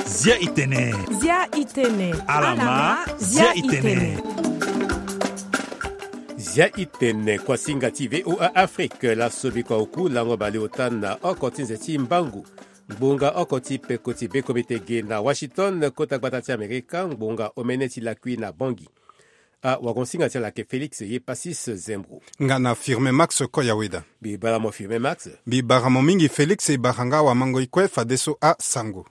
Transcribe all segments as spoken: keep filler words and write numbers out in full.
Zia itene. Zia itene. Alama. Zia itene. Zia itene kuasinga ti VOA Afrique. Laso bikua oku lango baleota na oko ti nze ti mbangu. Ngbonga oko ti peko ti bekomite ge na Washington, kota gbata ti Amerika, ngbonga omene ti lakui na Bangui. Awagonsinga ti ala ake Félix Yepasis Zembro. Nga na Firmin Max Koyaweda. Mbi bara mo Firmin Max. Mbi bara mo mingi Félix, e bara nga awamango ti kue fadeso asango.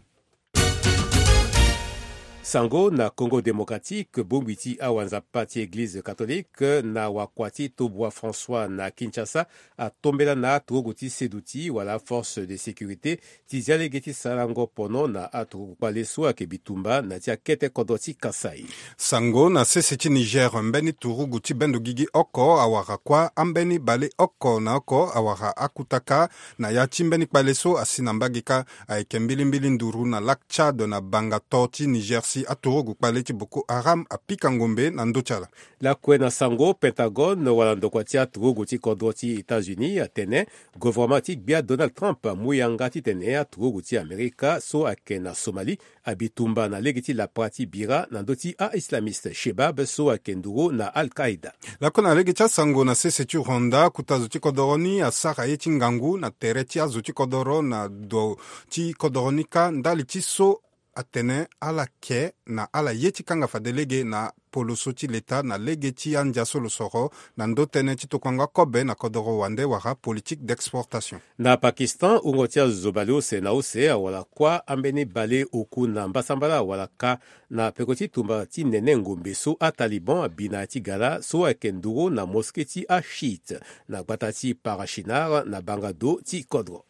Sango na Congo Démocratique, bongbi ti awanzapa ti Eglize Catholique na wakua ti Tobua François na Kinshasa atombela na aturugu ti seduti wala force de sécurité ti zia lege ti sarango pono na aturugu kpale so ayeke bitumba na ti akete kodro ti Kasaï. Sango na sese ti Niger, mbeni turugu ti bendo gigi oko awara kuâ, ambeni bale oko na oko awara akutaka na ya ti mbeni kpale so asi na mbage kâ. Ayeke mbilimbili nduru na lac Tchad na banga to ti Niger si aturugu kpale ti Boko Haram apika ngombe na ndö ti ala. Lakue na sango, Pentagone wala ndokua ti aturugu ti kodro ti États-Unis atene gouvernement ti gbia Donald Trump amu yanga titene aturugu ti Amerika so ayeke na Somalie abi tumba na lege ti lapara ti bira na ndö ti a-islamiste Shebab so ayeke nduru na Al-Qaïda. Lakue na lege ti asango, na sese ti Rwanda, kota zo ti kodoro ni asara ye ti ngangu na tere ti azo ti kodoro na do ti kodoro ni kâ, ndali ti so atene ala ke na ala ye ti kanga fade lege na poloso ti leta na lege ti andia so lo soro na ndö tënë ti tokuango akobe na kodoro wande wala politique d'exportation. Na Pakistan, wungo ti azo bale use na use awara kuâ ambeni bale oku na mbasambala awara kâ na peko ti tumba ti nene ngombe so aTaliban abi na ya ti gara so ayeke nduru na mosquée ti achiite na gbata ti Parachinar na banga do ti kodro.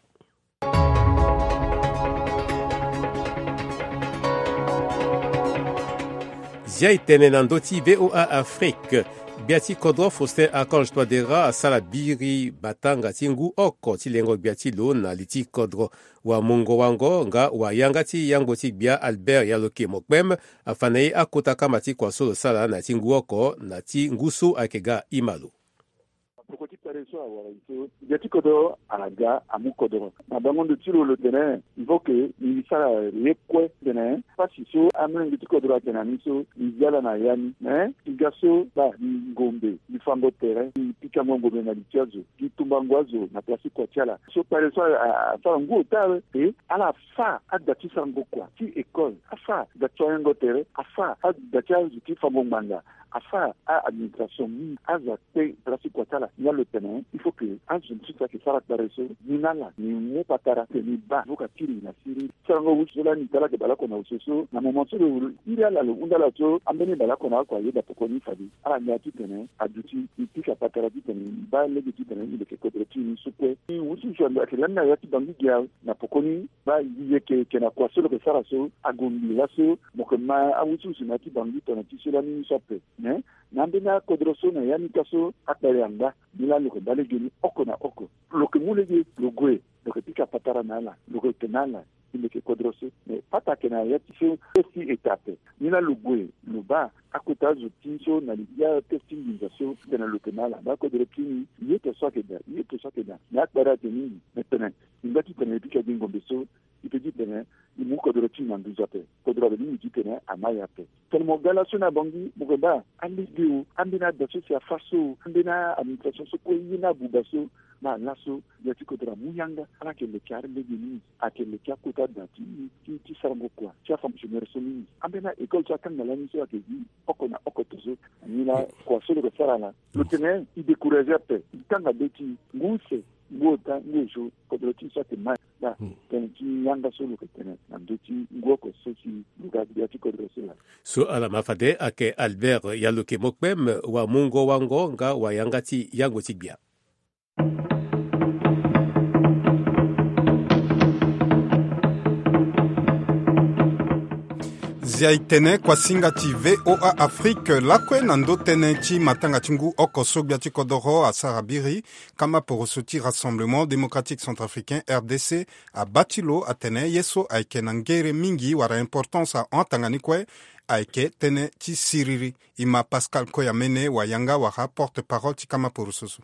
Zia itene na ndö ti VOA Afrique. Gbia ti kodro Faustin Archange Touadéra asara biri batanga ti ngu oko ti lengo gbia ti lo na li ti kodro. Wamungo-wango nga wayanga ti yangbo ti gbia Albert Yaloke Mokpem afa na e akota kama ti kua so lo sara na ya ti ngu oko na ti ngu so ayeke ga ima lo. Peko ti kpale so awara e so, gbia ti kodro aga amu kodro na bango ndo ti lo, lo tene il faut que e sara ye kue titene pasi so amolenge ti kodro atene na ni so e zia ala na ya ni. Me e ga so baa, e ngombe, e fango tere, e pikango ngombe na li ti azo, e tumbango azo na place ti kua ti ala. So kpale so asara ngu ota awe e ala afa ada ti sarango kua ti école, afa ada ti wayango tere, afa ada ti azo ti fango ngbanga, afa a-administration mingi. Azo akpe place ti kua ti ala. Ni laa lo tene il faut que azo mosusu ayeke sara kpale so, ni na ala ni mu patara titene ni baa avoka ti lo na siriri. Sarango wusu so lani ti ala ayeke bale oko na wusu so, na moment so lo iri ala, lo hunda ala so ambeni bale oko na oko ayeda pokoni fade ala ngia titene aduti e pika patara titene e baa lege titene e leke kodro ti e ni so kue. Wusu so ayeke lani na ya ti Bangui ge awe. Na pokoni baa, e yeke, e yeke na kua so lo yeke sara so, ague ngbii laso mo yeke ma awusuwusu na ya ti Bangui tongana ti so lani ni so ape. Me na ambeni akodro so na ya ni kâ so akpale angba, ni laa lo yeke baa lege ni oko na oko. Lo yeke mu lege lo gue, lo yeke pika patara na ala, lo yeke tene na ala e leke kodro so. Me pata ayeke na ya ti so test ti eta ape. Ni laa lo gue lo baa akota azo ti so na li ti atest ti nginza so titene lo tene na ala, baa kodro ti ni, ye to so ayeke daa, ye to so ayeke daa. Me akpale ayeke mingi. Me tene e ngba titene e pika gi ngombe so, e pe titene e mu kodro ti e na nduzu ape. Kodro ape ni, e titene ama e ape. Tene mo ga laso na Bangui, mo yeke baa alege o, ambeni ada so si afa so o, ambeni a-administration so kue, ye ni abuba so. Baa laso gbia ti kodro amu yanga, ala yeke leke alege mingi. Ayeke leke akota da ti, ti, ti sarango kua ti afonctionnaire so mingi. Ambeni a-école so akanga lani so ayeke gi oko na oko to so. Ni laa kua so lo yeke sara laa, lo tene e décourager ape, e kanga be ti e, ngu use, ngu ota, ngu osio, kodro ti e so ayeke ma. Baa tënë ti yanga so lo yeke tene na ndö ti ngu oko so si lo ga gbia ti kodro so laa. So ala ma fade ayeke Albert Yaloke Mokpem, wamungo-wango nga wayanga ti yangbo ti gbia. Zia e tene kuasinga ti VOA Afrique lakue na ndö tënë ti matanga ti ngu oko so gbia ti kodoro asara biri. Kama poroso ti Rassemblement Démocratique Centrafricain, R D C, abaa ti lo atene ye so ayeke na ngere mingi wala importance ahon atanga ni kue ayeke tënë ti siriri. E ma Pascal Koyamene, wayanga wala porte-parole ti kama poroso so.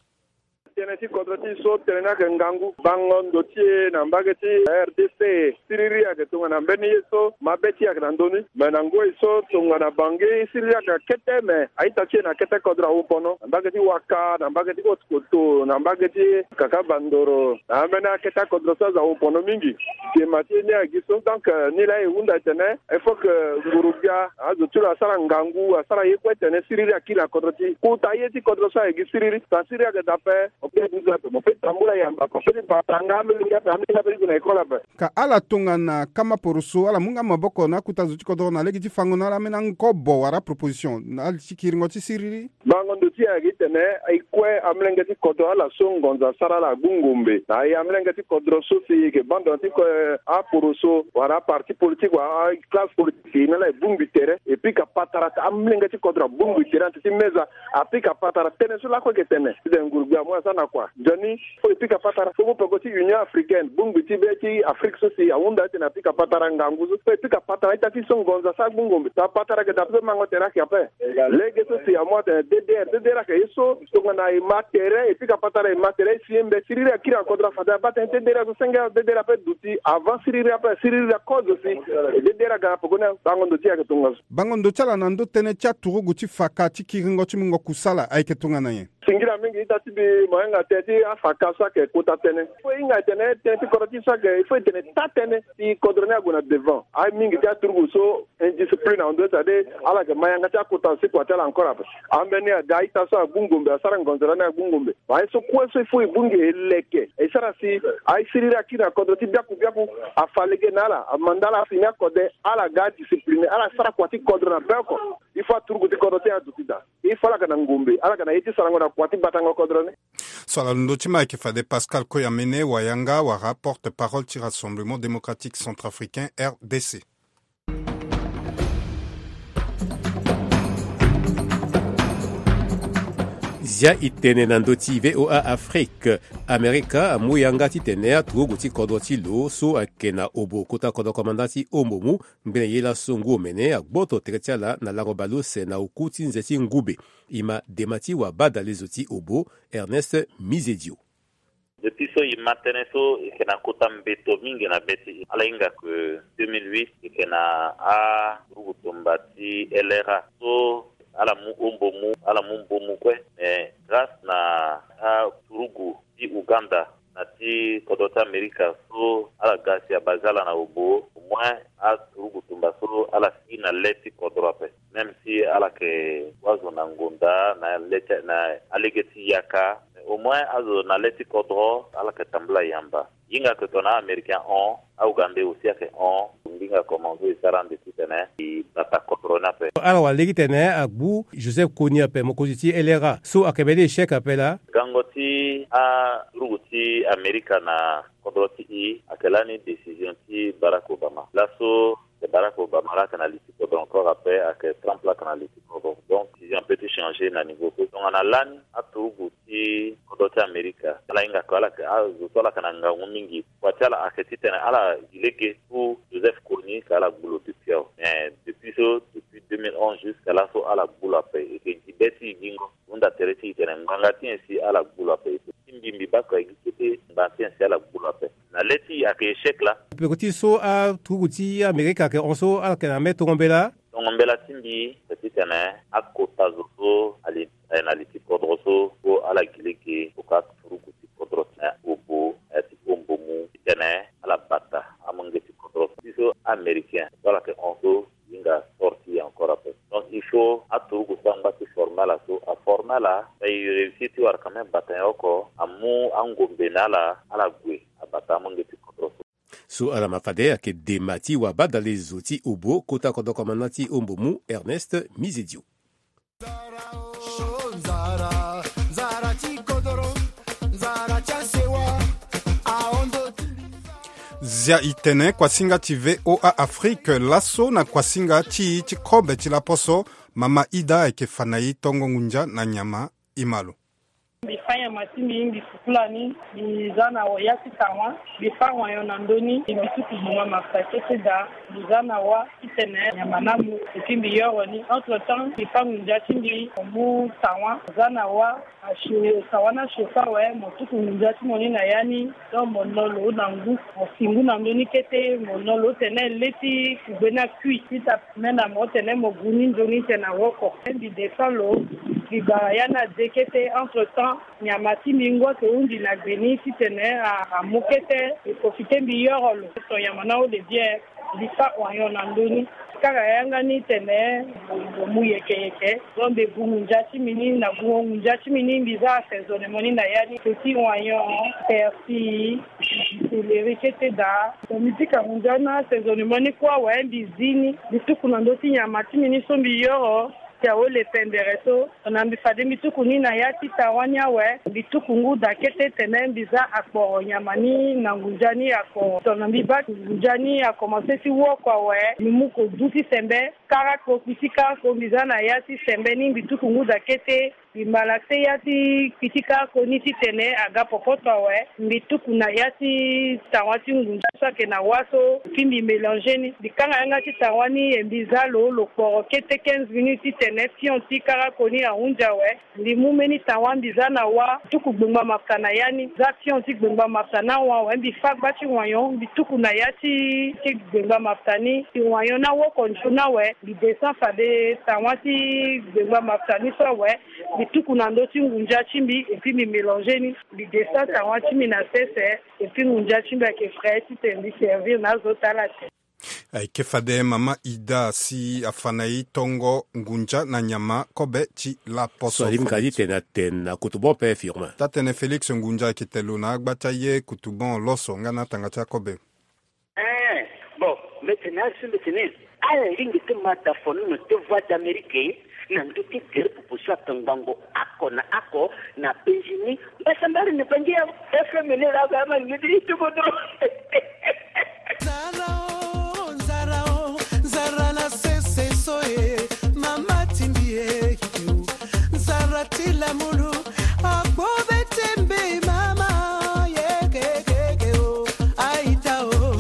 Ti kodro ti so tene ni ayeke ngangu. Bango ndo ti e na mbage ti rdc, siriri ayeke tongana mbeni ye so mabe ti e ayeke na ndö ni. Me na ngoi so tongana bangi siriri ayeke na kete, me a-ita ti e na kete kodro awu pono na mbage ti waka, na mbage ti haute koto, na mbage ti kaka bandoro, na ambeni akete akodro so azo awu pono mingi. Dema ti e ni ayeke gi so. Donc ni laa e hunda etene il faut que nguru-gbia azo ti lo asara ngangu, asara ye kue tene siriri akiri na kodro ti e. Kota ye ti kodro so ayeke gi siriri, sa siriri ayeke daa ape. Mo pe duzu ape, mo pe tambula yamba ape, mo pe ti bata nga amolenge ape, amolenge ape ti gue na école ape. Ka ala tongana kama poroso, ala mu nga maboko na akuta zo ti kodro na lege ti fango na ala ambeni angobo wala proposition na ali ti kiringo ti siriri. Bango ndo ti e ayeke titene e kue amolenge ti kodro ala so ngonzo asara ala agbu ngombe na e amolenge ti kodro so si e yeke bando na ti kue aporoso wala aparti politique wala aclasse politique si e na ala e bongbi tere e pika patara. Amolenge ti kodro abongbi tere na ti ti meza, apika patara tënë so lakue e yeke tene titene nguru-gbia amu asara na kua. Nzoni fo e pika patara fo mu peko ti Union Africaine, bongbi ti be ti Afrique so si ahunda titene apika patara ngangu so, fo e pika patara a-ita ti so ngonzo asara agbu ngombe. Tongana patara ayeke daa ape so mango tere ayeke ape. Lege so si amu atene D D R, D D R ayeke ye so tongana e ma tere, e pika patara e ma tere, e si ye mbe siriri akiri na kodro afade abaa tënë ti D D R so senge D D R ape duti avant siriri ape, siriri akozo si e D D R aga na pekoni. Bango ndo ti e ayeke tongaso. Bango ndo ti ala na ndö tënë ti aturugu ti faka ti kiringo ti mungo kusala ayeke tongana nyen? Singila mingi ita ti mbi mo hinga tënë ti afaka so ayeke kota tënë. Fo e hinga e tene tënë ti kodro ti so ayeke, fo e tene taa tënë si kodro ni ague na devant. Aye mingi ti aturugu so indiscipline ahon ndo, c'est-à-dire ala yeke ma yanga ti akota si kua ti ala encore ape. Ambeni ada a-ita so agbu ngombe, asara ngonzo lani agbu ngombe. Aye so kue so il faut e bongbi e leke e sara si aye siriri akiri na kodro ti biaku biaku afa lege na ala, amanda ala afini akode, ala ga adiscipline, ala sara kua ti kodro na be oko. Il faut aturugu ti kodro ti e aduti daa. Il faut ala ga na ngombe, ala ga na ye ti sarango na kua ti batango kodro ni. So ala londo ti ma ayeke fade Pascal Koyamene Wayanga wala porte-parole ti Rassemblement Démocratique Centrafricain, R D C. Zia e tene na ndö ti V O A Afrique. Amerika amu yanga titene aturugu ti kodro ti lo so ayeke na obo kota kodro komanda ti Ombomu, ngbene ye laso ngu omene agboto tere ti ala na lango baleuse na oku ti nze ti ngube. E ma dema ti wabadale zo ti obo, Ernest Mizedio. Depuis so e ma tënë so e yeke na kota mbeto mingi na be ti e. Ala hinga ke deux mille huit e yeke na aturugu tumba ti L R A so ala mu Ombomu, ala mu Mbomu kue. Mais grâce na aturugu ti Ouganda na ti kodro ti Amerika so ala ga si abase ala na obo, au moins aturugu tumba so ala si na le ti kodro ape. Même si ala yeke wa zo na ngonda na le ti na alege ti yaka, mais au moins azo na le ti kodro ala yeke tambula yamba. Hinga ke tongana a-Américain hon, a-Ougandais aussi ayeke hon. Ngbinga komanso e sara ande titene e bata kodro ni ape. Ala wara lege titene agbu Joseph Kony ape, mokonzi ti L R A so ayeke mbeni échec ape laa. Gango ti aturugu ti Amerika na kodro ti e ayeke lani décision ti Barack Obama. Laso Barack Obama laa ayeke na li ti kodro encore ape, ayeke Trump laa ayeke na li ti kodro. Donc décision ape ti changer na niveau so. Tongana lani aturugu ti kodro ti Amerika ala hinga ke ala yeke, azo so ala yeke na ngangu mingi. Kua ti ala ayeke titene ala gi lege pour Joseph Kony ke ala gbu lo depuis awe. Mais depuis so, depuis deux mille onze jusqu'à laso ala gbu lo ape. E yeke gi be ti e gingo. Hunda tere ti e tene ngbanga ti nyen si ala gbu lo ape. Ti mbi, mbi baa kua e gi kete ngbanga ti nyen si ala gbu lo ape. Na le ti e ayeke échec laa. Peko ti so aturugu ti Amerika ayeke hon so ala yeke na mbeni tongo mbela. Tongo mbela ti mbi ayeke titene akota zo so ali, eh, na li ti kodro so, so ala gi lege tongana aturugu ti kodro ti obo, eh, ti Ombomu titene ala bata amolenge ti kodro so. Ti so Américain so ala yeke hon so hinga sort ti e encore ape. Donc il faut aturugu so angba ti former ala so aformer ala, mais e réussir ti wara quand même bata nyen oko, amu angombe na ala, ala gue abata amolenge ti kodro so. So ala ma fade ayeke dema ti wabadale zo ti obo kota kodro komanda ti Ombomu, Ernest Mizedio. Zia e tene kuasinga ti V O A Afrique laso na kuasinga ti e ti kobe ti laposo. Mama Ida ayeke fa na e tongo ngunza na nyama. E ma lo. Mbi fa nyama ti mbi, mbi fukula ni, mbi za na ya ti tawa, mbi fa wayon na ndö ni, mbi tuku gboma mafta kete daa, mbi za na wa titene nyama na mu, epi mbi yoro ni. Entre temps, mbi fa ngunza ti mbi, mo mu tawa, za na wa, asio, tawa ni asio so awe, mo tuku ngunza ti mo ni na ya ni, donc mo no lo na ngu, mo si ngu na ndö ni kete, mo no lo tene le ti kugbe ni akui, ti ta me na mo tene mo gu ni nzoni tene na woko. Mbi descend lo, mbi ga ya ni ade kete, entre temps, nyama ti mbi ngu ake hundi na gbe ni titene a, amu kete, e profite mbi yoro lo. So nyama ni ahon de bien, mbi fa wayon na ndö ni. Kara yanga ni tene, mo mu yeke yeke. Donc mbi gu ngunza ti mbi ni, na gu ngunza ti mbi ni, mbi za assaisonnement ni na ya ni. Petit wayon, persil, céleri kete daa. Mbi pika ngunza na assaisonnement ni kue awe, mbi zi ni. Mbi tuku na ndö ti nyama ti mbi ni so mbi yoro. Ti awe le pendere so, tongana mbi fade mbi tuku ni na ya ti tawa ni awe, mbi tuku ngu daa kete tene mbi za akporo nyama ni na ngunza ni akporo. Tongana mbi baa ngunza ni akomanse ti woko awe, mbi mu kodu ti sembe, karako, kpi ti karako, mbi za na ya ti sembe ni, mbi tuku ngu daa kete, mbi malaxe ya ti kpi ti karako ni titene aga popoto awe, mbi tuku na ya ti tawa ti ngunza so ayeke na wa so, puis mbi mélanger ni. Mbi kanga yanga ti tawa ni, e mbi za lo, lo kporo kete quinze minutes titene pion ti karako ni ahunzi awe. Mbi mu mbeni tawa mbi za na wa, tuku gbengba mafta na ya ni, za pion ti gbengba mafta na wa awe, mbi fa gba ti wayon, mbi tuku na ya ti, ti gbengba mafta ni, ti wayon na woko nzoni awe, mbi descend fade tawa ti gbengba mafta ni so awe, mbi tuku na ndö ti ngunza ti mbi, et puis mbi mélanger ni, mbi descend tawa ti mbi na sese, et puis ngunza ti mbi ayeke frais titene mbi servir na azo ti ala te. Ayeke fade mama Ida si afa na e tongo ngunza na nyama kobe ti laposo. So alingbi ka ti tene atene na kotobon ape, Firmin. Taa-tënë Félix, ngunza ayeke tene lo na agba ti aye kotobon loso nga na atanga ti akobe. Eh, bon, mbi tene asi mbi tene, ala lingbi ti ma da fono na ti Voix d'Amérique na ndö ti gere popo so atongbango oko na oko na penzi ni. Mbasambari ni bangi ya F M ni laa, ba ma ni ti kodro. Nzara o, nzara o, nzara na sese so e, mama ti mbi e, nzara ti lamulu, agbo be ti mbi mama, ye ke ke ke o, aita o.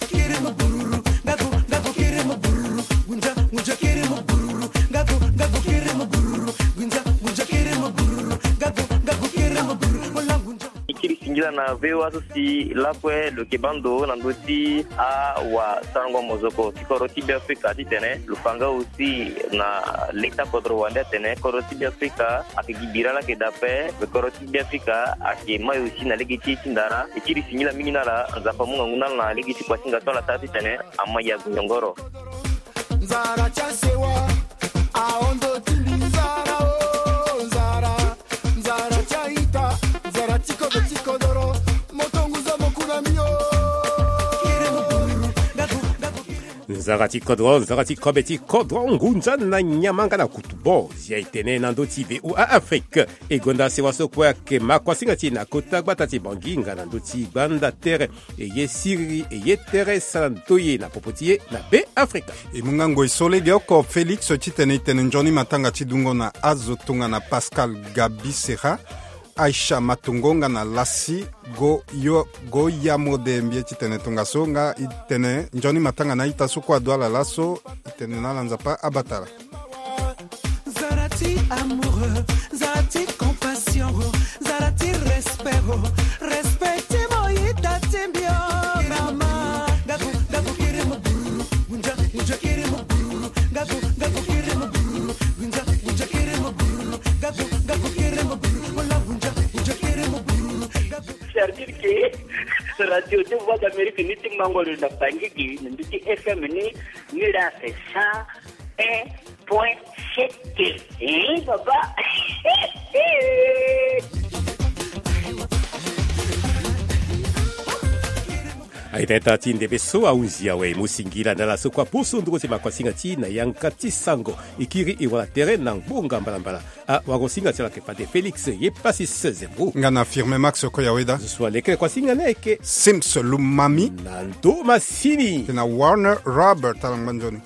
Kiri mo bururu, ngaku, ngaku kiri mo bururu, gunja, gunja kiri mo bururu, ngaku, ngaku kiri mo bururu, gunja, gunja kiri mo bururu, ngaku, ngaku kiri mo bururu, mo la gunja. Kiri singila na V O A so si lakue lo yeke baa ndo na ndö ti awasarango mozoko ti kodro ti Beafrika titene lo fa nga aussi na leta kodro wande atene kodro ti Beafrika ayeke gi bira laa ayeke daa ape, me kodro ti Beafrika ayeke mai aussi na lege ti e ti ndara. E kiri singila mingi na ala, Nzapa amu ngangu na ala na lege ti kuasinga so ala sara titene ama yago nyongoro. Nzara ti asewa, ahon ndo ti mbi nzara o, nzara. Nzara ti aita, nzara ti kobe ti kodoro, mo tonguza mo ku na mbi o. Nzara ti kodro, nzara ti kobe ti kodro, ngunza na nyama nga na kotobon, zia e tene na ndö ti V O A Afrique. E gonda sewa so kue ayeke ma kuasinga ti e na kota gbata ti Bangui nga na ndö ti gbanda tere. E ye siriri, e ye tere sara ndoye na popo ti e na Beafrika. E mu nga ngoi so lege oko Félix titene e tene nzoni matanga ti dungo na azo tongana Pascal Gabi Serra, Aisha Matongo nga na Lassi Go yo, Go Yamode, mbi ye titene tongaso nga e tene nzoni matanga na a-ita so kue adu ala laso. E tene na ala Nzapa abata ala. Nzara ti amoureux, nzara ti compassion, nzara ti respect, respect ti mo ita ti mbi o, mama. Ngaku, ngaku kiri mo bururu, gunja, gunja kiri mo bururu, ngaku, ngaku kiri mo bururu, gunja, gunja kiri mo bururu, ngaku, ngaku kiri mo bururu, mo la gunja, gunja kiri mo bururu, ngaku. C'est-à-dire que Radio de Voix d'Amérique ni ti mango lo na Bangui gi, ni mbi ti F M ni, ni la c'est cent un point sept. Eh, papa. Aita ita ti ndembe so ahunzi awe, mo singila na ala so kue aposo nduru ti makuasinga ti e na yanga ti sango. E kiri e wara tere na ngbonga mbalambala. Ah, wagosinga ti ala yeke fade Félix ye Pasis Zembo. Nga na Firmin Max Koyaweda. Zo so aleke kuasinga ni ayeke Sims Lumami. Na ndo masini. Tena Warner Robert, ala ngba nzoni.